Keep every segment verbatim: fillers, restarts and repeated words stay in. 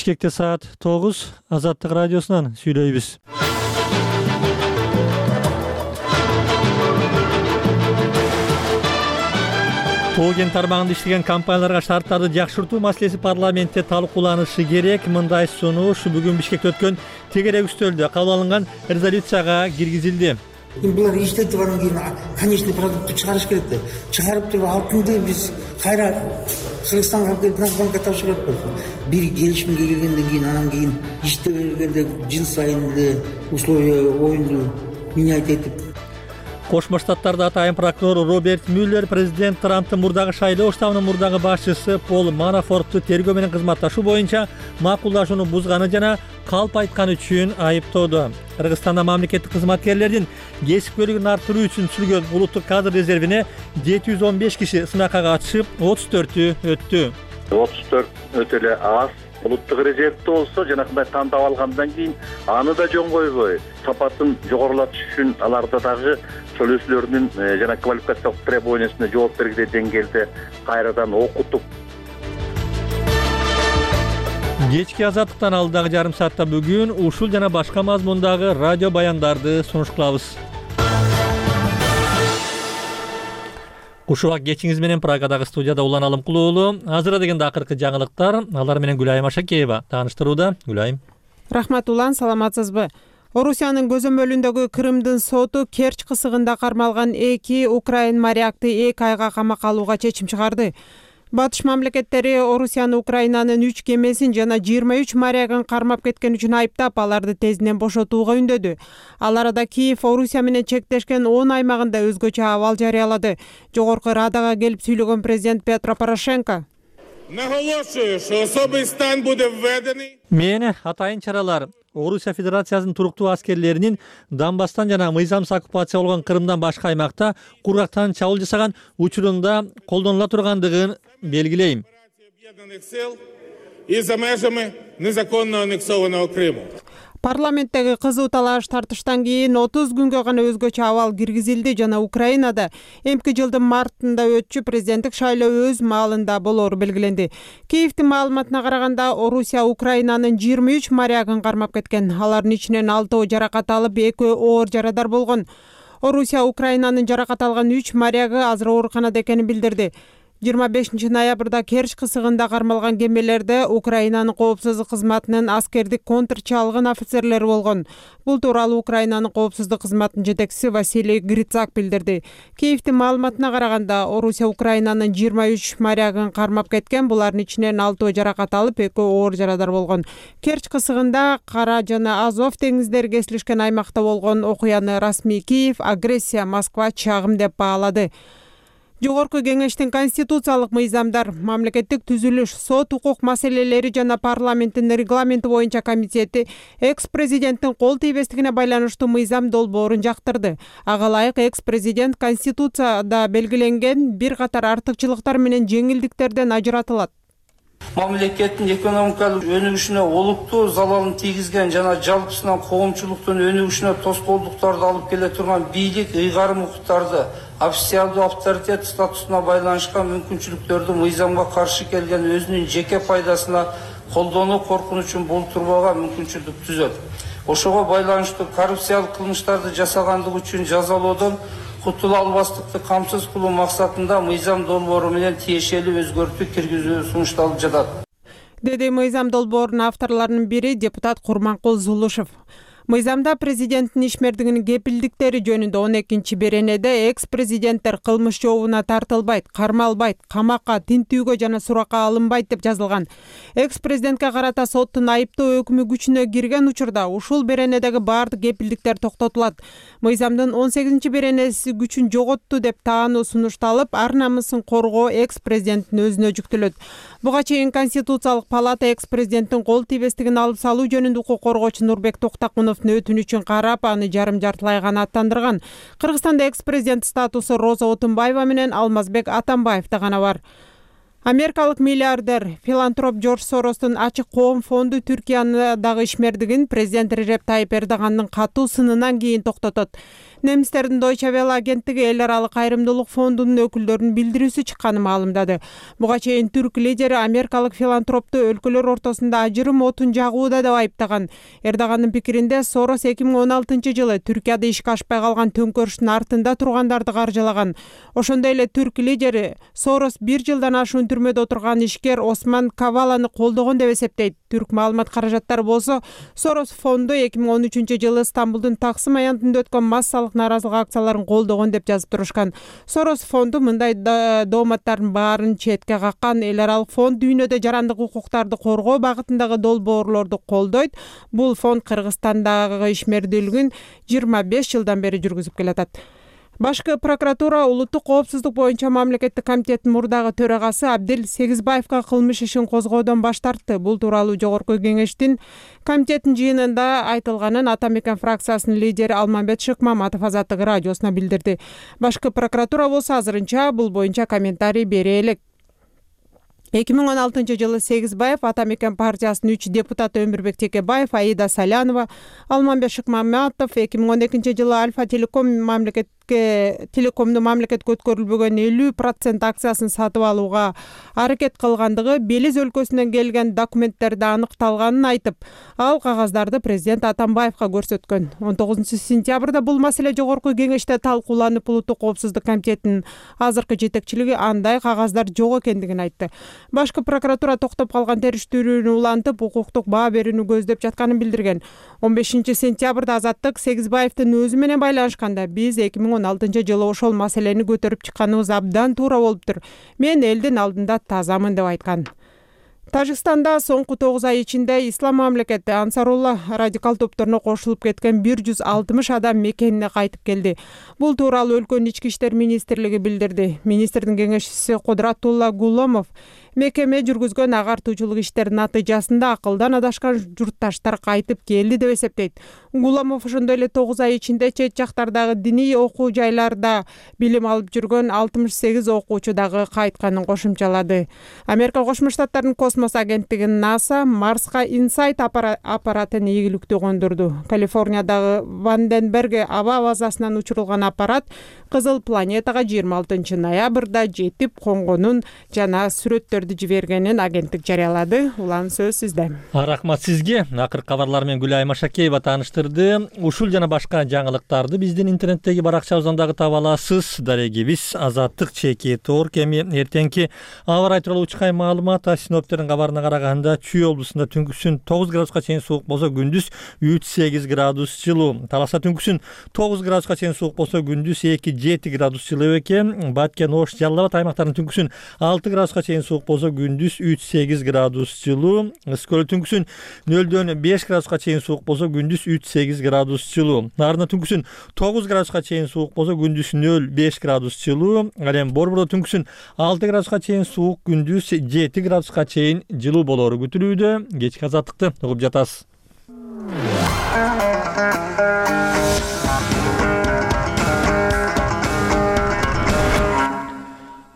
Бишкекте саат тогуз, Азаттык радиосунан сүйлөйбүз. Тоо кен тармагында иштеген компанияларга шарттарды жакшыртуу маселеси парламентте талкууланышы керек. Мындай сунуш бүгүн Бишкекте өткөн тегерек үстөлдө кабыл алынган резолюцияга киргизилди. Булар иштетип анан кийин конечный продуктты чыгарыш керек да. Чыгарып туруп алтынды биз кайра Кыргызстанга алып келип Нацбанкка тапшырып атпайбыз. Бир келишимге келгенден кийин анан кийин иште бергенде жыл сайын эле условия оюнду менять этип. Кошмо Штаттарда атайын прокурор Роберт Мюллер президент Трамптын мурдагы шайлоо штабынын мурдагы башчысы Пол Манафортту тергөө менен кызматташуу боюнча макулдашууну бузганы жана калп айтканы үчүн айыптоодо. Кыргызстанда мамлекеттик кызматкерлердин кесипкөйлүгүн арттыруу үчүн түзүлгөн улуттук кадр резервине жети жүз он беш киши сынакка катышып, отуз төртү өттү. отуз төрт өтө эле аз. Улуттук резервде болсо жанакындай тандап алгандан кийин аны да жөн койбой, сапатын жогорулатыш үчүн аларда дагы төлөөчүлөрдүн жана квалификациялык требованиясына жооп бергиле деңгээлде кайрадан окутуп. Кечки Азаттыктан алдагы жарым саатта бүгүн ушул жана башка мазмундагы радио баяндарды сунуш кылабыз. Кушубак кечиңиз менен Прагадагы студияда Улан Алымкулуу. Азыр дегенде акыркы жаңылыктар, алар менен Гүлайым Ашакеева тааныштырууда. Гүлайым. Рахмат Улан, саламатсызбы? Орусиянын көзөмөлүндөгү Крымдын соту Керчь кысыгында кармалган эки украин морякты эки айга камакка алууга чечим чыгарды. Батыш мамлекеттери Орусияны Украинанын үч кемесин жана жыйырма үч морягын кармап кеткен үчүн айыптап, аларды тезинен бошотууга үндөдү. Ал арада Киев Орусия менен чектешкен он аймагында өзгөчө абал жарыялады. Жогорку Радага келип сүйлөгөн президент Петро Порошенко: Наголошую, що особий стан буде введений. Мен атайын чаралар Орусия Федерациясынын туруктуу аскерлеринин Донбасстан жана мыйзамсыз оккупация болгон Крымдан башка аймакта кургактан чабуул жасаган учурунда колдонула тургандыгын белгилейм. Об'єднаних сил і за межами незаконно аннексованого Криму. Парламенттеги кызуу талаш тартыштан кийин отуз күнгө гана өзгөчө абал киргизилди жана Украинада эмки жылдын мартында өтчү президенттик шайлоо өз маалында болору белгиленди. Киевдин маалыматына караганда, Орусия Украинанын жыйырма үч морягын кармап кеткен. Алардын ичинен алтоо жаракат алып, экөө оор жарадар болгон. Орусия Украинанын жаракат алган үч морягы азыр ооруканада экенин билдирди. жыйырма бешинчи ноябрда Керчь кысыгында кармалган кемелерде Украинанын коопсуздук кызматынын аскердик контрчалгын офицерлери болгон. Бул тууралуу Украинанын коопсуздук кызматынын жетекчиси Василий Грицак билдирди. Киевдин маалыматына караганда, Орусия Украинанын жыйырма үч морягын кармап кеткен, булардын ичинен алтоо жаракат алып, экөө оор жарадар болгон. Керчь кысыгында Кара жана Азов деңиздери кесилишкен аймакта болгон окуяны расмий Киев агрессия, Москва чагым деп баалады. Жогорку кеңештин конституциялык мыйзамдар, мамлекеттик түзүлүш, сот укук маселелери жана парламенттин регламенти боюнча комитети экс-президенттин кол тийбестигине байланыштуу мыйзам долбоорун жактырды. Ага ылайык экс-президент конституцияда белгиленген бир катар артыкчылыктар менен жеңилдиктерден ажыратылат. Мамлекеттин экономикалык өнүгүшүнө олуттуу залалын тийгизген жана жалпысынан коомчулуктун өнүгүшүнө тоскоолдуктарды алып келе турган бийлик ыйгарым укуктарды, официалдуу авторитет статусуна байланышкан мүмкүнчүлүктөрдү мыйзамга каршы келген өзүнүн жеке пайдасына колдонуу коркунучун болтурбага мүмкүнчүлүк түзөт. Ошого байланыштуу коррупциялык кылмыштарды жасагандыгы үчүн жазалоодон кутула албастыкты камсыз кылуу максатында мыйзам долбоору менен тиешелүү өзгөртүү киргизүү сунушталып жатат, деди мыйзам долбоорунун авторлорунун бири депутат Курманкул Зулушев. Мыйзамда президенттин ишмердигинин кепилдиктери жөнүндө он экинчи беренеде экс-президенттер кылмыш жообуна тартылбайт, кармалбайт, камакка, тинтүүгө жана суракка алынбайт деп жазылган. Экс-президентке карата соттун айыптоо өкүмү күчүнө кирген учурда ушул беренедеги баардык кепилдиктер токтотулат. Мыйзамдын он сегизинчи беренеси күчүн жоготту деп таануу сунушталып, ар намысын коргоо экс-президенттин өзүнө жүктөлөт. Буга чейин Конституциялык палата экс-президенттин кол тийбестигин алып салуу жөнүндө укук коргоочу Нурбек Токтакуновдун өтүнүчүн карап, аны жарым жартылай гана аттандырган. Кыргызстанда экс-президент статусу Роза Отунбаева менен Алмазбек Атамбаевда гана бар. Америкалык миллиардер филантроп Джордж Соростун ачык коом фонду Түркиядагы ишмердигин президент Режеп Тайип Эрдогандын катуу сынынан кийин токтотот. Немистердин Deutsche Welle агенттиги эл аралык кайрымдуулук фондунун өкүлдөрүнүн билдирүүсү чыкканын маалымдады. Буга чейин түрк лидери америкалык филантропту өлкөлөр ортосунда ажырым отун жагууда деп айыптаган. Эрдогандын пикиринде Сорос эки миң он алтынчы жылы Түркияда ишке ашпай калган төңкөрүштүн артында тургандарды каржылаган. Ошондой эле түрк лидери Сорос бир жылдан ашуун түрмөдө отурган ишкер Осман Каваланы колдогон деп эсептейт. Түрк маалымат каражаттары болсо Сорос фонду эки миң он үчүнчү жылы Стамбулдун Таксым аянтында өткөн массалык нааразылык акцияларын колдогон деп жазып турушкан. Сорос фонду мындай дооматтардын баарын четке каккан. Эл аралык фонд дүйнөдө жарандык укуктарды коргоо багытындагы долбоорлорду колдойт. Бул фонд Кыргызстандагы ишмердүүлүгүн жыйырма беш жылдан бери жүргүзүп келатат. Башкы прокуратура улуттук коопсуздук боюнча мамлекеттик комитеттин мурдагы төрагасы Абдел Сегизбаевга кылмыш ишин козгоодон баш тартты. Бул тууралуу жогорку кеңештин комитеттин жыйынында айтылганын Ата Мекен фракциясынын лидери Алмамбет Шыкмаматов Азаттык радиосуна билдирди. Башкы прокуратура болсо азырынча бул боюнча комментарий бере элек. эки миң он алтынчы жылы Сегизбаев Ата Мекен партиясынын үч депутаты Өмүрбек Текебаев, Аида Салянова, Алмамбет Шыкмаматов, эки миң он экинчи жылы Альфа Телеком мамлекет телекомду мамлекетке өткөрүлбөгөн элүү процент акциясын сатып алууга аракет кылгандыгы Белиз өлкөсүнөн келген документтерде аныкталганын айтып, ал кагаздарды президент Атамбаевга көрсөткөн. он тогузунчу сентябрда бул маселе жогорку кеңеште талкууланып, улуттук коопсуздук комитетинин азыркы жетекчилиги андай кагаздар жок экендигин айтты. Башкы прокуратура токтоп калган териштирүүнү улантып, укуктук баа берүүнү көздөп жатканын билдирген. он бешинчи сентябрда Азаттык Сегизбаевдин өзү менен байланышканда, биз эки миң он алтынчы жылы ошол маселени көтөрүп чыкканыбыз абдан туура болуптур. Мен элдин алдында тазамын деп айткан. Тажикстанда соңку тогуз ай ичинде Ислам мамлекети Ансарулла радикал топторуна кошулуп кеткен бир жүз алтымыш адам мекенине кайтып келди. Бул тууралуу өлкөнүн ички иштер министрлиги билдирди. Министрдин кеңешчиси Кудратулла Гуломов мекеме жүргүзгөн агартуучулук иштеринин натыйжасында акылдан адашкан журтташтар кайтып келди деп эсептейт. Гуломов ошондой эле тогуз ай ичинде чет жактардагы диний окуу жайларда билим алып жүргөн алтымыш сегиз окуучу дагы кайтканын кошумчалады. Америка Кошмо Штаттарынын космос агенттиги НАСА Марска Инсайт аппаратын ийгиликтүү кондурду. Калифорниядагы Ванденберг аба базасынан учурулган аппарат Кызыл планетага жыйырма алтынчы ноябрда жетип конгонун жана сүрөттөрдү жибергенин агенттик жарыялады. Улан сөз сизде. Рахмат сизге. Акыркы кабарлар менен Гүлай Машакеева тааныштырды. Ушул жана башка жаңылыктарды биздин интернеттеги баракчабыздан дагы таба аласыз. Дарегибиз Азаттык чеки Тор кеми эртеңки аба ырайы тууралуу учкай маалымат. Синоптиктердин кабарына караганда Чүй облусунда түнкүсүн тогуз градуска чейин суук болсо, күндүз үч сегиз градус жылуу. Таласа түнкүсүн тогуз градуска чейин суук болсо, күндүз эки жети градус жылуу экен. Баткен, Ош, Жалал Абад аймактарынын түнкүсүн алты градуска чейин суук болсо, күндүз үч сегиз градус жылуу. Ысык түнкүсүн нөлдөн беш градуска чейин суук болсо, күндүз үч сегиз градус жылуу. Нарында түнкүсүн тогуз градуска чейин суук болсо, күндүз нөл беш градус жылуу. Ал эми Борбордо түнкүсүн алты градуска чейин суук, күндүз жети градуска чейин жылуу болору күтүлүүдө. Кечки азаттыкты угуп жатасыз.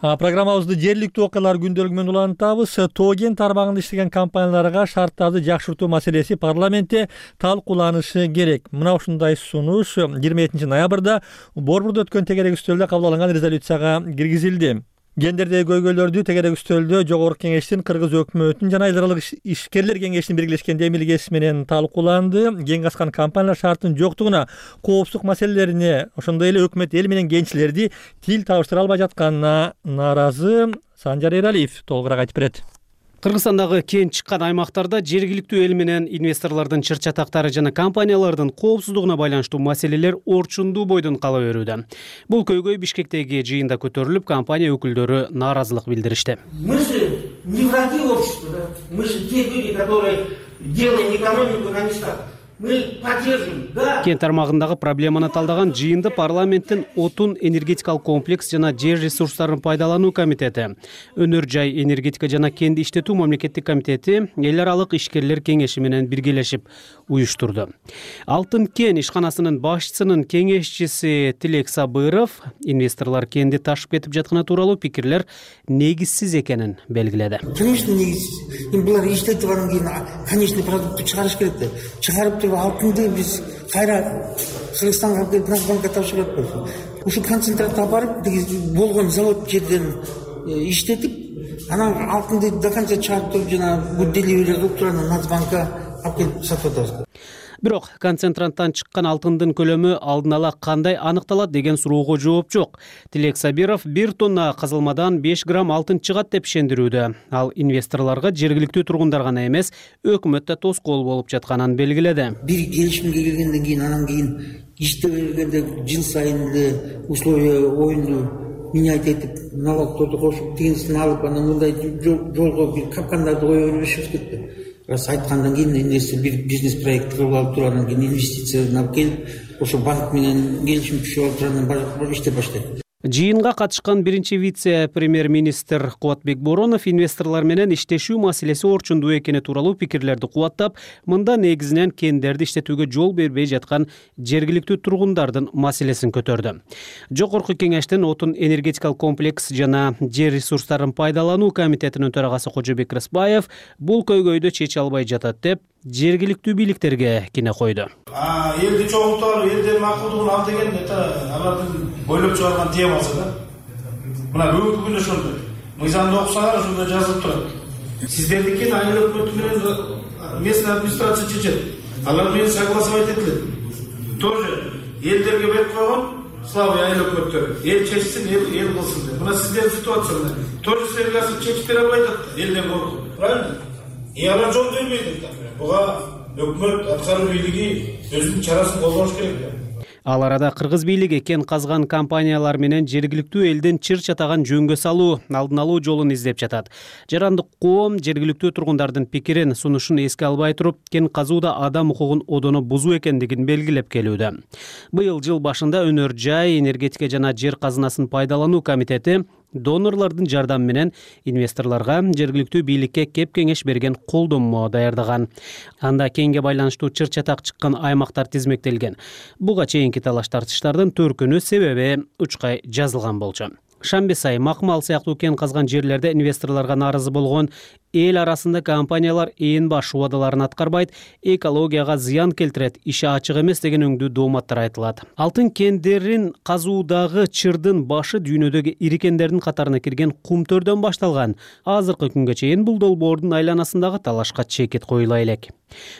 Программабызды жергиликтүү окуялар күндөлүгү менен улантабыз. Тоо кен тармагында иштеген компанияларга шарттарды жакшыртуу маселеси парламентте талкууланышы керек. Мына ушундай сунуш жыйырма экинчи ноябрда Борбордо өткөн тегерек үстөлдө кабыл алынган резолюцияга киргизилди. Гендердеги көйгөйлөрдү тегерек үстөлдө Жогорку Кеңештин, Кыргыз өкмөтүнүн жана эл аралык ишкерлер кеңешинин биргелешкен демилгеси менен талкууланды. Кен качкан компаниялар шарттын жоктугуна, коопсуздук маселелерине, ошондой эле өкмөт эл менен кенчилерди тил табыштыра албай жатканына нааразы. Санжар Эралиев толугураак айтып берет. Кыргызстандагы кен чыккан аймактарда жергиликтүү эл менен инвесторлордун чыр-чатактары жана компаниялардын коопсуздугуна байланыштуу маселелер орчундуу бойдон кала берүүдө. Бул көйгөй Бишкектеги жыйында көтөрүлүп, компания өкүлдөрү нааразылык билдиришти. Мы же не враги общества, да? Мы же те люди, которые делаем экономику на местах. Мы поддержим, да. Кен тармагындагы проблеманы талдаган жыйынды парламенттин отун энергетикалык комплекс жана жер ресурстарын пайдалануу комитети, өнөр жай энергетика жана кенди иштетүү мамлекеттик комитети эл аралык ишкерлер кеңеши менен биргелешип уюштурду. Алтын кен ишканасынын башчысынын кеңешчиси Тилек Сабыров инвесторлор кенди ташып кетип жатканы тууралуу пикирлер негизсиз экенин белгиледи. Конечно, негизсиз. Эми булар иштетип анан кийин конечный продуктты чыгарыш керек да. Чыгарып туруп алтынды биз кайра Кыргызстанга алып келип Нацбанкка тапшырып атпайбызбы? Ушу концентратты алып барып болгон завод жерден иштетип, анан алтынды до конца чыгарып туруп жана бул деливери кылып туруп анан Нацбанкка алып келип сатып атабыз. Бирок концентранттан чыккан алтындын көлөмү алдын ала кандай аныкталат деген суроого жооп жок. Тилек Сабиров бир тонна казылмадан беш грамм алтын чыгат деп ишендирүүдө. Ал инвесторлорго жергиликтүү тургундар гана эмес, өкмөт да тоскоол болуп жатканын белгиледи. Бир келишимге келгенден кийин анан кийин иштеп бергенде жыл сайын эле условия оюнду менять этип, налогторду кошуп, тигинсин алып, анан мындай жолго бир капкандарды кое бербешибиз керек да. Раз айткандан кийин инвестор бир бизнес проект кылып алып туруп, анан кийин инвестицияны алып келип, ошо банк менен келишим түшүп алып туруп, анан иштеп баштайт. Жыйынга катышкан биринчи вице-премьер-министр Кубатбек Боронов инвесторлор менен иштешүү маселеси орчундуу экени тууралуу пикирлерди кубаттап, мында негизинен кендерди иштетүүгө жол бербей жаткан жергиликтүү тургундардын маселесин көтөрдү. Жогорку кеңештин отун энергетикалык комплекс жана жер ресурстарын пайдалануу комитетинин төрагасы Кожобек Рыспаев бул көйгөйдү чече албай жатат деп жергиликтүү бийликтерге кине койду. А элди чогултуп алып, элдин макулдугун ал деген это алардын бойлоп чыгарган темасы да. Мына бүгүнкү күнү ошондой. Мыйзамды окусаңар ошондо жазылып турат. Сиздердики айnel өкмөтү менен местный администрация чечет. Алар менен согласовать этилет. Тоже элдерге берип койгон слабый айнел өкмөттөр. Эл чечсин, эл эл кылсын деп. Мына сиздердин ситуацияңар. Тоже силерге чечип бере албайт элден коркуп. Правильно? И алар жол бербейт. Буга өкмөт аткаруу бийлиги өзүнүн чарасын колдош керек. Ал арада кыргыз бийлиги кен казган компаниялар менен жергиликтүү элдин чыр чатаган жөнгө салуу, алдын алуу жолун издеп жатат. Жарандык коом жергиликтүү тургундардын пикирин, сунушун эске албай туруп, кен казууда адам укугун одоно бузуу экендигин белгилеп келүүдө. Быйыл жыл башында өнөр жай, энергетика жана жер казынасын пайдалануу комитети донорлордун жардамы менен инвесторлорго жергиликтүү бийликке кеп кеңеш берген колдонмо даярдаган. Анда кенге байланыштуу чыр чатак чыккан аймактар тизмектелген. Буга чейинки талаш тартыштардын төркүнү себеби учкай жазылган болчу. Шамбесай, Макмал сыяктуу кен казган жерлерде инвесторлорго нааразы болгон эл арасында компаниялар ээн баш убадаларын аткарбайт, экологияга зыян келтирет, иши ачык эмес деген өңдүү дооматтар айтылат. Алтын кендерин казуудагы чырдын башы дүйнөдөгү ири кендердин катарына кирген кумтөрдөн башталган. Азыркы күнгө чейин бул долбоордун айланасындагы талашка чекит коюла элек.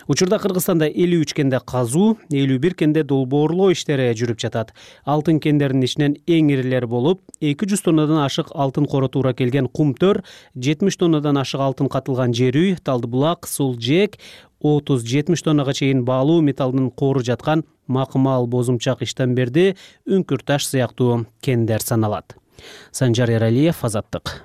Учурда Кыргызстанда элүү үч кенде казуу, элүү бир кенде долбоорлоо иштери жүрүп жатат. Алтын кендеринин ичинен эң ирилери болуп, эки жүз тоннадан ашык алтын коро туура келген кумтөр, жетимиш тоннадан ашык алтын катылган жер үй, Талдыбулак, Сулжек, отуз жетимиш тоннага чейин баалуу металлдын кору жаткан Макмал, Бозумчак, Иштемберди, Үңкүрташ сыяктуу кендер саналат. Санжар Эралиев, Азаттык.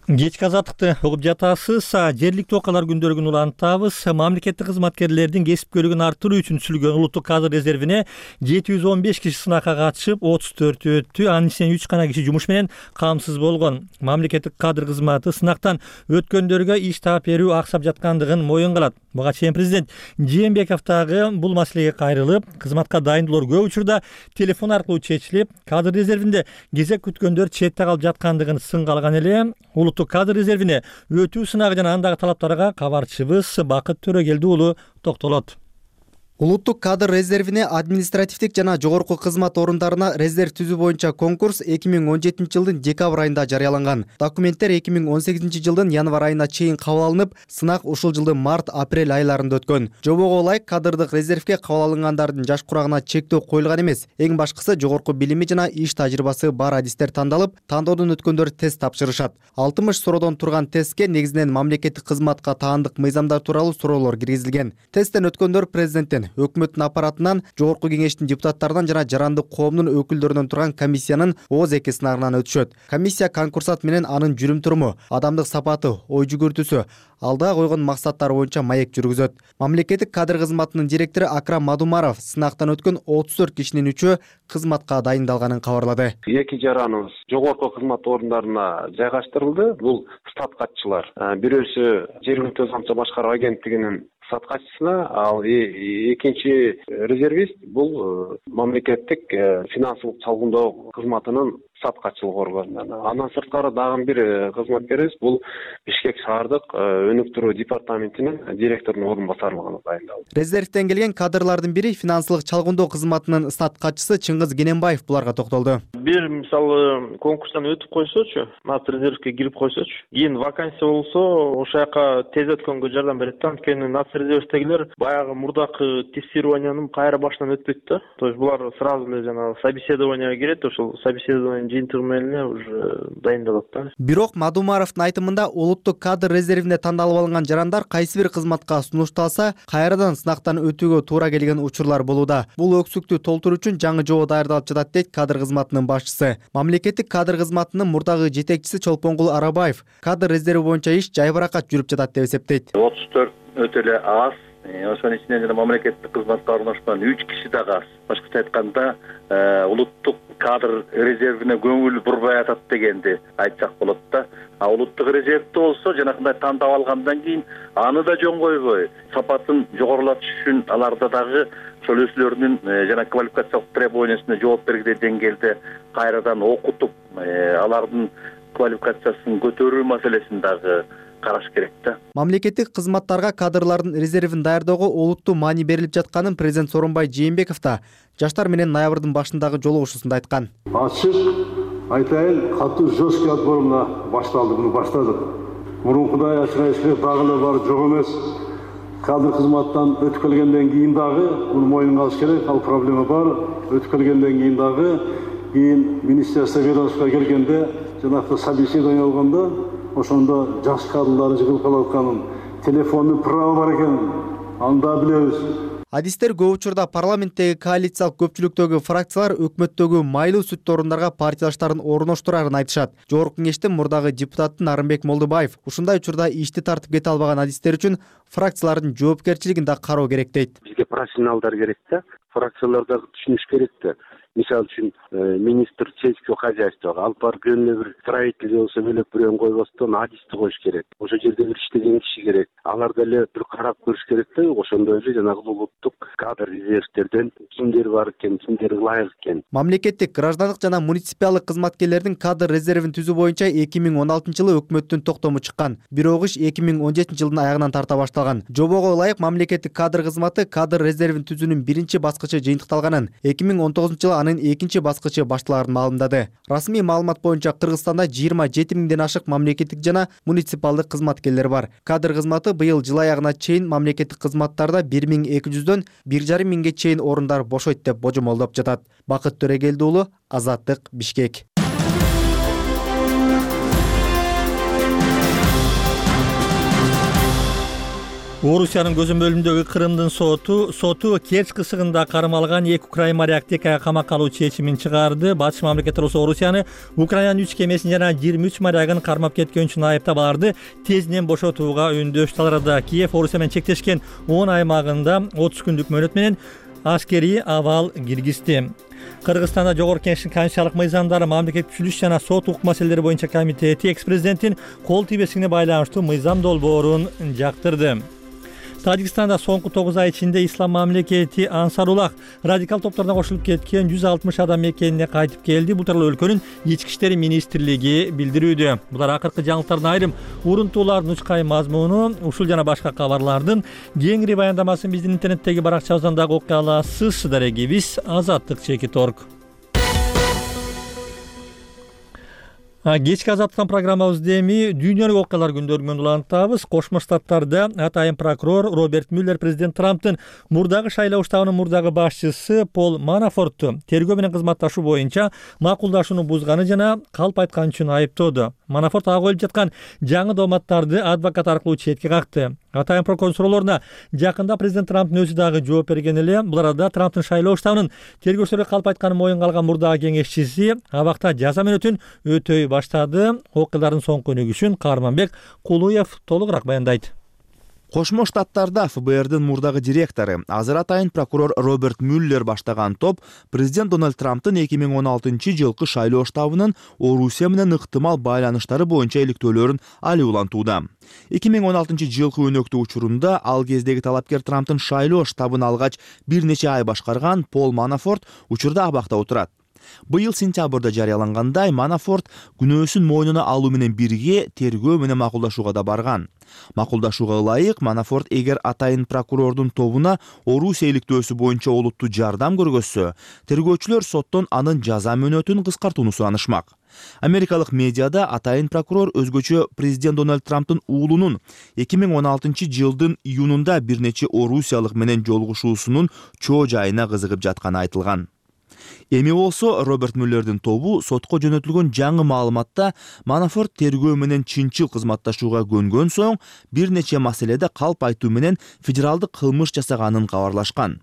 Кечки азаттыкты угуп жатасыз. Жергиликтүү окуялар күндөрүн улантабыз. Мамлекеттик кызматкерлердин кесипкөйлүгүн арттыруу үчүн түзүлгөн улуттук кадр резервине жети жүз он беш киши сынакка катышып, отуз төртү өттү. Анын ичинен үч гана киши жумуш менен камсыз болгон. Мамлекеттик кадр кызматы сынактан өткөндөргө иш таап берүү аксап жаткандыгын моюн кылат. Буга чейин президент Жээнбеков дагы бул маселеге кайрылып, кызматка дайындоолор көп учурда телефон аркылуу чечилип, кадр резервинде кезек күткөндөр четте калып жаткандыгын сынга алган эле. Улуттук кадр резервине өтүү сынагы жана андагы талаптарга кабарчыбыз Бакыт Төрөгелди уулу токтолот. Улуттук кадр резервине административдик жана жогорку кызмат орундарына резерв түзүү боюнча конкурс эки миң он жетинчи жылдын декабрь айында жарыяланган. Документтер эки миң он сегизинчи жылдын январь айына чейин кабыл алынып, сынак ушул жылдын март-апрель айларында өткөн. Жобого ылайык кадрдык резервге кабыл алынгандардын жаш курагына чектөө коюлган эмес. Эң башкысы жогорку билими жана иш тажрыйбасы бар адистер тандалып, тандоодон өткөндөр тест тапшырышат. алтымыш суроодон турган тестке негизинен мамлекеттик кызматка таандык мыйзамдар тууралуу суроолор киргизилген. Тесттен өткөндөр президенттен өкмөттүн аппаратынан, жогорку кеңештин депутаттарынан жана жарандык коомдун өкүлдөрүнөн турган комиссиянын ооз эки сынагынан өтүшөт. Комиссия конкурсат менен анын жүрүм-туруму, адамдык сапаты, ой жүгүртүүсү, алдыга койгон максаттары боюнча маек жүргүзөт. Мамлекеттик кадр кызматынын директору Акрам Мадумаров сынактан өткөн отуз төрт кишинин үчөө кызматка дайындалганын кабарлады. Эки жараныбыз жогорку кызмат орундарына жайгаштырылды. Бул статкатчылар. Бирөөсү жергиликтүү камчы башкаруу агенттигинин саткачысына, ал экинчи резервист бул мамлекеттик финансылык чалгындоо кызматынын саткачылык органынан. Андан сырткары дагы бир кызматкерибиз бул Бишкек шаардык өнүктүрүү департаментинин директорунун орун басарлыгына дайындалды. Резервден келген кадрлардын бири финансылык чалгындоо кызматынын статкачысы Чыңгыз Кененбаев буларга токтолду. Бир мисалы конкурстан өтүп койсочу, нат резервге кирип койсочу, кийин вакансия болсо, ошол жака тез өткөнгө жардам берет да. Анткени нат резервдегилер баягы мурдакы тестированиянын кайра башынан өтпөйт да. То есть булар сразу эле жана собеседованияга кирет, ошол собеседование жыйынтыгы менен эле уже дайындалат да. Бирок Мадумаровдун айтымында улуттук кадр резервине тандалып алынган жарандар кайсы бир кызматка сунушталса, кайрадан сынактан өтүүгө туура келген учурлар болууда. Бул өксүктү толтуруу үчүн жаңы жобо даярдалып жатат дейт кадр кызматынын башчысы. Мамлекеттик кадр кызматынын мурдагы жетекчиси Чолпонгул Арабаев кадр резерви боюнча иш жайбаракат жүрүп жатат деп эсептейт. отуз төрт өтө эле аз. Ошонун ичинен жана мамлекеттик кызматка орношкон үч киши дагы аз. Башкача айтканда, улуттук кадр резервине көңүл бурбай атат дегенди айтсак болот да. А улуттук резервде болсо жанакындай тандап алгандан кийин аны да жөн койбой, сапатын жогорулатыш үчүн аларда дагы ошол өзүлөрүнүн жана квалификациялык требованиясына жооп бергиле деңгээлде кайрадан окутуп, алардын квалификациясын көтөрүү маселесин дагы караш керек да. Мамлекеттик кызматтарга кадрлардын резервин даярдоого олуттуу маани берилип жатканын президент Сооронбай Жээнбеков да жаштар менен ноябрдын башындагы жолугушуусунда айткан. Ачык айтайын, катуу жесткий отбор мына башталды, муну баштадык. Мурункудай ачык айтышка дагы эле бар жок эмес. Кадр кызматтан өтүп келгенден кийин дагы муну мойнуна алыш керек, ал проблема бар. Өтүп келгенден кийин дагы кийин министерство ведомствого келгенде жанакы собеседование алганда ошондо жаш кадрлар жыгылып калып атканын, телефондун правы бар экенин анда билебиз. Адистер көп учурда парламенттеги коалициялык көпчүлүктөгү фракциялар өкмөттөгү майлуу сүттүү орундарга партиядаштарын орноштурарын айтышат. Жогорку кеңештин мурдагы депутаты Нарымбек Молдубаев ушундай учурда ишти тартып кете албаган адистер үчүн фракциялардын жоопкерчилигин да кароо керек дейт. Бизге профессионалдар керек да, фракциялар дагы түшүнүш керек да. Мисалы үчүн министр сельского хозяйствого алып барып эле бир строитель болсо бөлөп бирөөнү койбостон адисти коюш керек. Ошол жерде бир иштеген киши керек. Алар деле бир карап көрүш керек да. Ошондой эле жанагы улуттук кадр резервдерден кимдер бар экен, кимдер ылайык экен. Мамлекеттик, граждандык жана муниципалдык кызматкерлердин кадр резервин түзүү боюнча эки миң он алтынчы жылы өкмөттүн токтому чыккан. Бирок иш эки миң он жетинчи жылдын аягынан тарта башталган. Жобого ылайык мамлекеттик кадр кызматы кадр резервин түзүүнүн биринчи баскычы жыйынтыкталганын, эки миң он тогузунчу жылы анын экинчи баскычы башталарын маалымдады. Расмий маалымат боюнча Кыргызстанда жыйырма жети миңден ашык мамлекеттик жана муниципалдык кызматкерлер бар. Кадр кызматы быйыл жыл аягына чейин мамлекеттик кызматтарда бир миң эки жүздөн бир жарым миңге чейин орундар бошойт деп божомолдоп жатат. Бакыт Төрегелди уулу, Азаттык, Бишкек. Орусиянын көзөмөлүндөгү Крымдын соту соту Керчь кысыгында кармалган эки украин морякту эки айга камакка алуу чечимин чыгарды. Батыш мамлекеттер Орусияны Украинанын үч кемесин жана жыйырма үч морягын кармап кеткен үчүн айыптап аларды тезинен бошотууга үндөш таларады. Киев Орусия менен чектешкен он аймагында отуз күндүк мөөнөт менен аскерий абал киргизди. Кыргызстанда Жогорку Кеңештин конституциялык мыйзамдары, мамлекеттик түзүлүш жана сот укук маселелери боюнча комитети экс-президенттин кол тийбестигине байланыштуу мыйзам долбоорун жактырды. Тажикстанда соңку тогуз ай ичинде Ислам мамлекети Ансарулах радикал топторуна кошулуп кеткен жүз алтымыш адам мекенине кайтып келди. Бул тууралуу өлкөнүн ички иштери министрлиги билдирүүдө. Булар акыркы жаңылыктардын айрым урунтуулардын учкай мазмуну, ушул жана башка кабарлардын кеңири баяндамасын биздин интернеттеги баракчабыздан дагы окуй аласыз. Дарегибиз Азаттык чекит точка орг. Кечки Азаттыктан программабызды эми дүйнөлүк окуялар күндөрү менен улантабыз. Кошмо Штаттарда атайын прокурор Роберт Мюллер президент Трамптын мурдагы шайлоо штабынын мурдагы башчысы Пол Манафортту тергөө менен кызматташуу боюнча макулдашууну бузганы жана калп айткан үчүн айыптоодо. Манафорт ага коюлуп жаткан жаңы дооматтарды адвокат аркылуу четке какты. Атайын прокурор суроолоруна жакында президент Трамптын өзү дагы жооп берген эле. Бул арада Трамптын шайлоо штабынын тергөөчүлөргө калп айтканын моюнга алган мурдагы кеңешчиси абакта жаза мөөнөтүн өтөй баштады. Окуялардын соңку өнүгүшүн Каарманбек Кулуев толугураак баяндайт. Кошмо Штаттарда эф бэ эрдин мурдагы директору, азыр атайын прокурор Роберт Мюллер баштаган топ президент Дональд Трамптын эки миң он алтынчы жылкы шайлоо штабынын Орусия менен ыктымал байланыштары боюнча иликтөөлөрүн али улантууда. эки миң он алтынчы жылкы өнөктүү учурунда ал кездеги талапкер Трамптын шайлоо штабын алгач бир нече ай башкарган Пол Манафорт учурда абакта отурат. Быйыл сентябрда жарыялангандай, Манафорт күнөөсүн мойнуна алуу менен бирге тергөө менен макулдашууга да барган. Макулдашууга ылайык, Манафорт эгер атайын прокурордун тобуна Орусия иликтөөсү боюнча олуттуу жардам көргөзсө, тергөөчүлөр соттон анын жаза мөөнөтүн кыскартууну суранышмак. Америкалык медиада атайын прокурор өзгөчө президент Дональд Трамптын уулунун эки миң он алтынчы жылдын июнунда бир нече орусиялык менен жолугушуусунун чоо жайына кызыгып жатканы айтылган. Эми болсо Роберт Мюллердин тобу сотко жөнөтүлгөн жаңы маалыматта Манафорт тергөө менен чынчыл кызматташууга көнгөн соң бир нече маселеде калп айтуу менен федералдык кылмыш жасаганын кабарлашкан.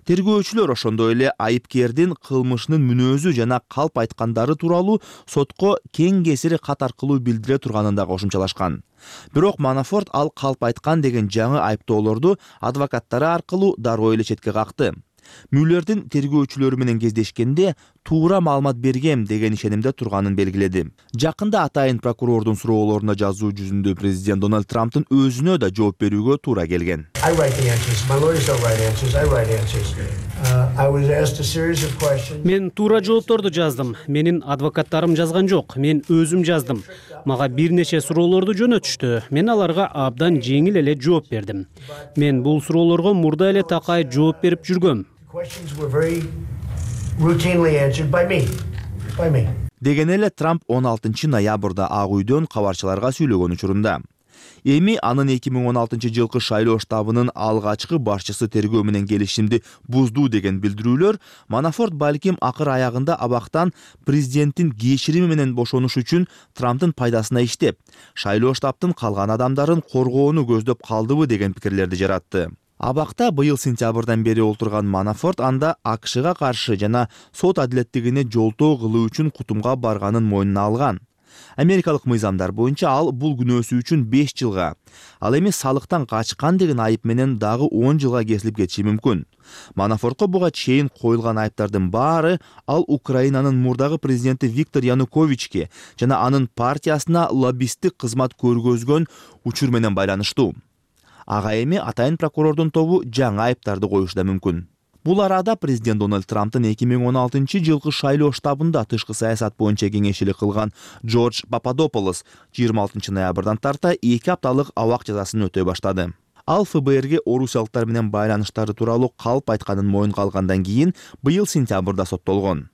Тергөөчүлөр ошондой эле айыпкердин кылмышынын мүнөзү жана калп айткандары тууралуу сотко кең кесири кат аркылуу билдире турганын да кошумчалашкан. Бирок Манафорт ал калп айткан деген жаңы айыптоолорду адвокаттары аркылуу дароо эле четке какты. Мюллердин тергөөчүлөрү менен кездешкенде туура маалымат бергем деген ишенимде турганын белгиледи. Жакында атайын прокурордун суроолоруна жазуу жүзүндө президент Дональд Трамптын өзүнө да жооп берүүгө туура келген. Мен туура жоопторду жаздым. Менин адвокаттарым жазган жок. Мен өзүм жаздым. Мага бир нече суроолорду жөнөтүштү. Мен аларга абдан жеңил эле жооп бердим. Мен бул суроолорго мурда эле такай жооп берип жүргөм. Деген эле Трамп он алтынчы ноябрда Ак үйдөн кабарчыларга сүйлөгөн учурунда. Эми анын эки миң он алтынчы жылкы шайлоо штабынын алгачкы башчысы тергөө менен келишимди буздуу деген билдирүүлөр Манафорт балким акыр аягында абактан президенттин кечирими менен бошонуш үчүн Трамптын пайдасына иштеп, шайлоо штабтын калган адамдарын коргоону көздөп калдыбы деген пикирлерди жаратты. Абакта быйыл сентябрдан бери олтурган Манафорт анда А К Шга каршы жана сот адилеттигине жолтоо кылуу үчүн кутумга барганын мойнуна алган. Америкалык мыйзамдар боюнча ал бул күнөөсү үчүн беш жылга, ал эми салыктан качкан деген айып менен дагы он жылга кесилип кетиши мүмкүн. Манафортко буга чейин коюлган айыптардын баары ал Украинанын мурдагы президенти Виктор Януковичке жана анын партиясына лоббисттик кызмат көргөзгөн учур менен байланыштуу. Ага эми атайын прокурордун тобу жаңы айыптарды коюшу да мүмкүн. Бул арада президент Дональд Трамптын эки миң он алтынчы жылкы шайлоо штабында тышкы саясат боюнча кеңешчилик кылган Джордж Пападополос жыйырма алтынчы ноябрдан тарта эки апталык абак жазасын өтөй баштады. Ал эф бэ эрге орусиялыктар менен байланыштары тууралуу калп айтканын моюнга алгандан кийин быйыл сентябрда соттолгон.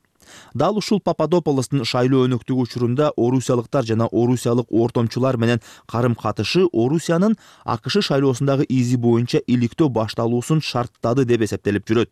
Дал ушул Пападополостун шайлоо өнөктүгү учурунда орусиялыктар жана орусиялык ортомчулар менен карым-катышы Орусиянын А К Ш шайлоосундагы изи боюнча иликтөө башталуусун шарттады деп эсептелип жүрөт.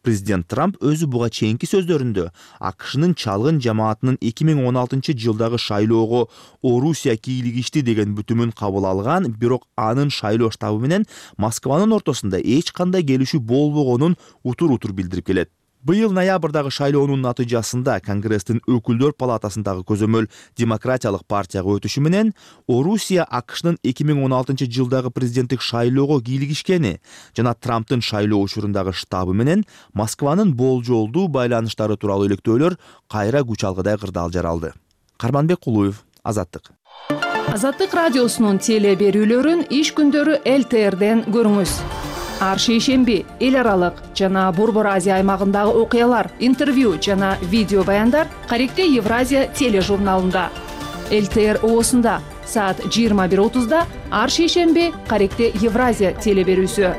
Президент Трамп өзү буга чейинки сөздөрүндө А К Шнын чалгын жамаатынын эки миң он алтынчы жылдагы шайлоого Орусия кийлигишти деген бүтүмүн кабыл алган, бирок анын шайлоо штабы менен Москванын ортосунда эч кандай келишүү болбогонун утур-утур билдирип келет. Быйыл ноябрдагы шайлоонун натыйжасында Конгресстин өкүлдөр палатасындагы көзөмөл демократиялык партияга өтүшү менен Орусия А К Шнын эки миң он алтынчы жылдагы президенттик шайлоого кийлигишкени жана Трамптын шайлоо учурундагы штабы менен Москванын болжолдуу байланыштары тууралуу иликтөөлөр кайра күч алгыдай кырдаал жаралды. Карманбек Кулуев, Азаттык. Азаттык радиосунун теле берүүлөрүн иш күндөрү Л Т Рден көрүңүз. Ар шейшемби эл аралык жана Борбор Азия аймагындагы окуялар, интервью жана видео баяндар Каректе Евразия тележурналында. Л Т Р оосунда саат жыйырма бир отузда ар шейшемби Каректе Евразия теле берүүсү.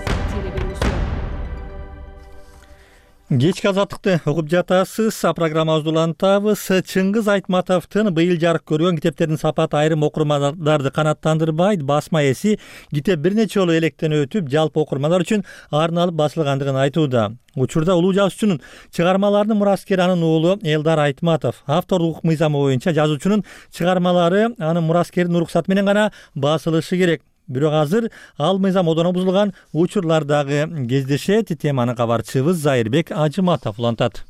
Кечки азаттыкты угуп жатасыз. Программабызды улантабыз. Чыңгыз Айтматовдун быйыл жарык көргөн китептердин сапаты айрым окурмандарды канааттандырбайт. Басма эси китеп бир нече жолу электен өтүп, жалпы окурмандар үчүн арналып басылгандыгын айтууда. Учурда улуу жазуучунун чыгармаларынын мураскери анын уулу Элдар Айтматов. Автордук укук мыйзамы боюнча жазуучунун чыгармалары анын мураскеринин уруксаты менен гана басылышы керек. Бирок азыр ал мыйзам одоно бузулган учурлар дагы кездешет. Теманы кабарчыбыз Зайырбек Ажыматов улантат.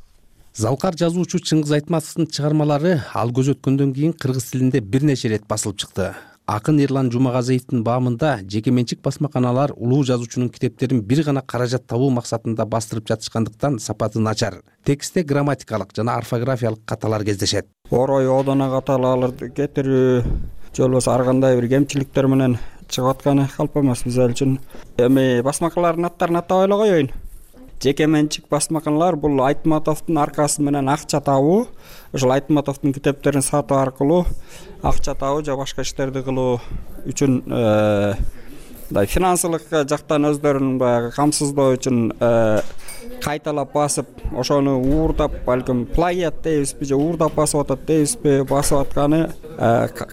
Залкар жазуучу Чыңгыз Айтматовдун чыгармалары ал көз өткөндөн кийин кыргыз тилинде бир нече ирет басылып чыкты. Акын Эрлан Жумагазиевдин баамында жеке менчик басмаканалар улуу жазуучунун китептерин бир гана каражат табуу максатында бастырып жатышкандыктан сапаты начар. Текстте грамматикалык жана орфографиялык каталар кездешет. Орой одоно каталарды кетирүү же болбосо ар кандай бир кемчиликтер менен чыгып атканы калп эмес биз үчүн. Эми басмакалардын аттарын атап эле коеюн. Жеке менчик басмаканалар бул Айтматовдун аркасы менен акча табуу, ошол Айтматовдун китептерин сатуу аркылуу акча табуу же башка иштерди кылуу үчүн мындай финансылык жактан өздөрүн баягы камсыздоо үчүн кайталап басып, ошону уурдап, балким плагиат дейбизби же уурдап басып атат дейбизби, басып атканы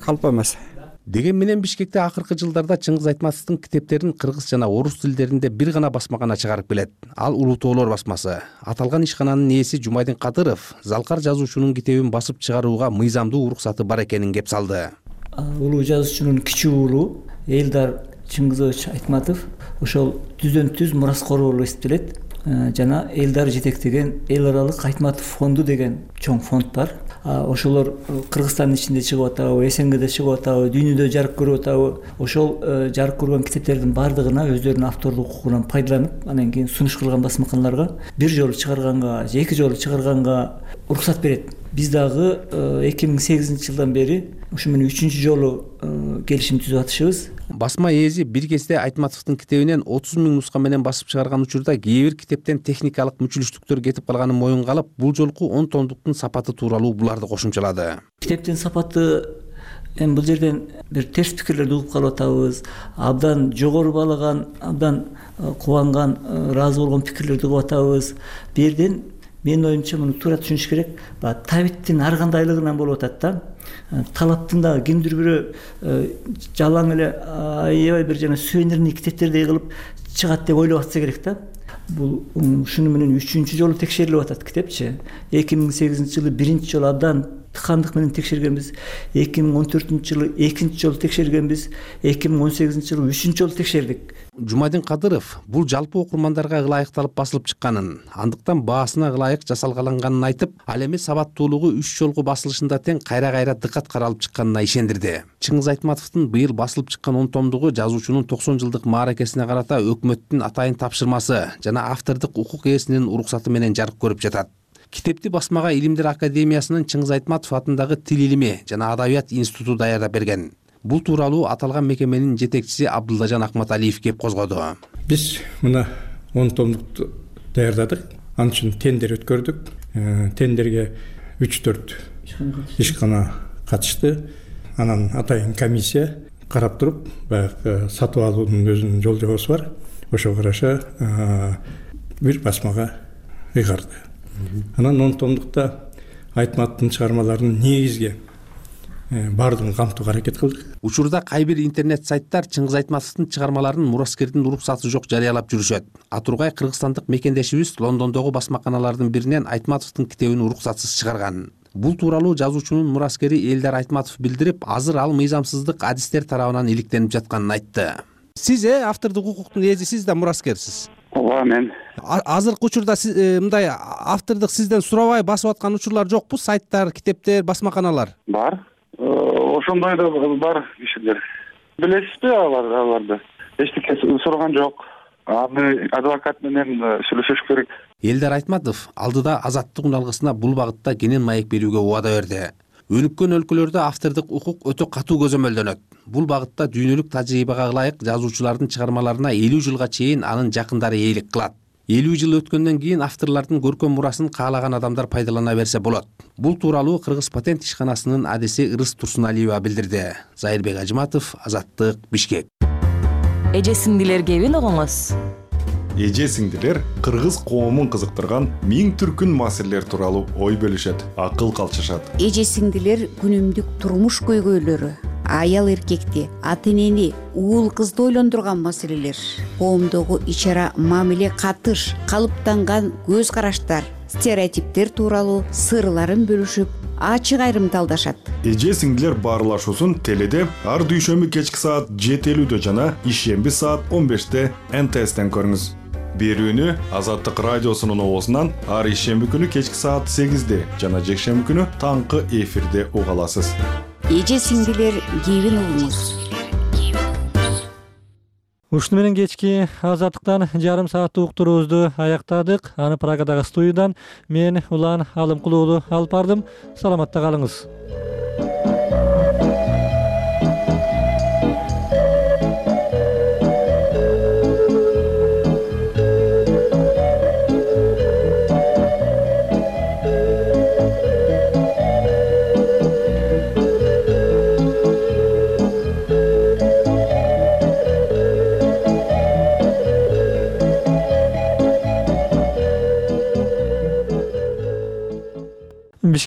калп эмес. Деген менен Бишкекте акыркы жылдарда Чыңгыз Айтматовдун китептерин кыргыз жана орус тилдеринде бир гана басмакана чыгарып келет. Ал Улуу Тоолор басмасы. Аталган ишкананын ээси Жумайдин Кадыров Залкар жазуучунун китебин басып чыгарууга мыйзамдуу уруксаты бар экенин кеп салды. Улуу жазуучунун кичүү уулу Элдар Чыңгызович Айтматов ошол түздөн түз мураскору болуп эсептелет. Жана Элдар жетектеген эл аралык Айтматов фонду деген чоң фонд бар. Ошолор Кыргызстандын ичинде чыгып атабы, СНГде чыгып атабы, дүйнөдө жарык көрүп атабы, ошол жарык көргөн китептердин бардыгына өздөрүнүн авторлук укугунан пайдаланып, анан кийин сунуш кылган басмаканаларга бир жолу чыгарганга же эки жолу чыгарганга уруксат берет. Биз дагы эки миң сегизинчи жылдан бери ушу менен үчүнчү жолу келишим түзүп атышыбыз. Басма ээси бир кезде Айтматовдун китебинен отуз миң нуска менен басып чыгарган учурда кээ бир китептен техникалык мүчүлүштүктөр кетип калганын моюнга алып, бул жолку он томдуктун сапаты тууралуу буларды кошумчалады. Китептин сапаты эми бул жерден бир терс пикирлерди угуп калып атабыз. Абдан жогору баалаган, абдан кубанган, ыраазы болгон пикирлерди угуп атабыз. Бу жерден менин оюмча муну туура түшүнүш керек. Табиттин ар кандайлыгынан болуп атат да. Талаптын дагы кимдир бирөө жалаң эле аябай бир жана сувенирный китептердей кылып чыгат деп ойлоп атса керек да. Бул ушуну менен үчүнчү жолу текшерилип атат китепчи. эки миң сегизинчи жылы биринчи жолу абдан тыкандык менен текшергенбиз. эки миң он төртүнчү жылы экинчи жолу текшергенбиз. эки миң он сегизинчи жылы үчүнчү жолу текшердик. Жумайдин Кадыров бул жалпы окурмандарга ылайыкталып басылып чыкканын, андыктан баасына ылайык жасалганын айтып, ал эми сабаттуулугу үч жолку басылышында тең кайра-кайра дыкат каралып чыкканына ишендирди. Чыңгыз Айтматовдун быйыл басылып чыккан он томдугу жазуучунун токсон жылдык мааракесине карата өкмөттүн атайын тапшырмасы жана автордук укук ээсинин уруксаты менен жарык көрүп жатат. Китепти басмага Илимдер академиясынын Чыңгыз Айтматов атындагы Тил илими жана Адабият институту даярдап берген. Бул тууралуу аталган мекеменин жетекчиси Абдуллажан Акматалиев кеп козгоду. Биз мына он томдукту даярдадык. Ал үчүн тендер өткөрдүк. Тендерге үч төрт ишкана катышты. Анан атайын комиссия карап туруп, баягы сатып алуунун өзүнүн жол жобосу бар. Ошого караша бир басмага ыйгарды. Анан он томдукта Айтматовдун чыгармаларынын негизги бардыгын камтууга аракет кылдык. Учурда кай бир интернет сайттар Чыңгыз Айтматовдун чыгармаларын мураскердин уруксаты жок жарыялап жүрүшөт. Атургай кыргызстандык мекендешибиз Лондондогу басмаканалардын биринен Айтматовдун китебин уруксатсыз чыгарган. Бул тууралуу жазуучунун мураскери Элдар Айтматов билдирип, азыр ал мыйзамсыздык адистер тарабынан иликтенип жатканын айтты. Сиз э автордук укуктун ээси, сиз да мураскерсиз. Ооба, мен. Азыркы учурда мындай автордук сизден сурабай басып аткан учурлар жокпу? Сайттар, китептер, басмаканалар? Бар. Ошондой да бар кишилер. Билесизби алар аларды? Эчтеке сураган жок. Аны адвокат менен сүйлөшүш керек. Элдар Айтматов алдыда Азаттык уналгысына бул багытта кенен маек берүүгө убада берди. Өнүккөн өлкөлөрдө автордук укук өтө катуу көзөмөлдөнөт. Бул багытта дүйнөлүк тажрыйбага ылайык жазуучулардын чыгармаларына элүү жылга чейин анын жакындары ээлик кылат. элүү жыл өткөндөн кийин авторлордун көркөм мурасын каалаган адамдар пайдалана берсе болот. Бул тууралуу Кыргыз патент ишканасынын адиси Ырыс Турсуналиева билдирди. Зайырбек Ажыматов, Азаттык, Бишкек. Эже сиңдилер кебин угуңуз. эже сиңдилер кыргыз коомун кызыктырган миң түркүн маселелер тууралуу ой бөлүшөт, акыл калчышат. Эже сиңдилер күнүмдүк турмуш көйгөйлөрү, аял эркекти, ата энени, уул кызды ойлондурган маселелер, коомдогу ич ара мамиле катыш, калыптанган көз караштар, стереотиптер тууралуу сырларын бөлүшүп, ачык айрымталдашат. Эже сиңдилер баарлашуусун теледе ар дүйшөмбү кечки саат жети элүүдө жана ишемби саат он беште эн тэ эстен көрүңүз. Берүүнү Азаттык радиосунун оозунан ар ишемби күнү кечки саат сегизде жана жекшемби күнү таңкы эфирде уга аласыз. Эже сиңдилер кебин угуңуз. Ушуну менен кечки Азаттыктан жарым сааттык уктуруубузду аяктадык. Аны Прагадагы студиядан мен Улан Алымкулуулу алып бардым. Саламатта калыңыз.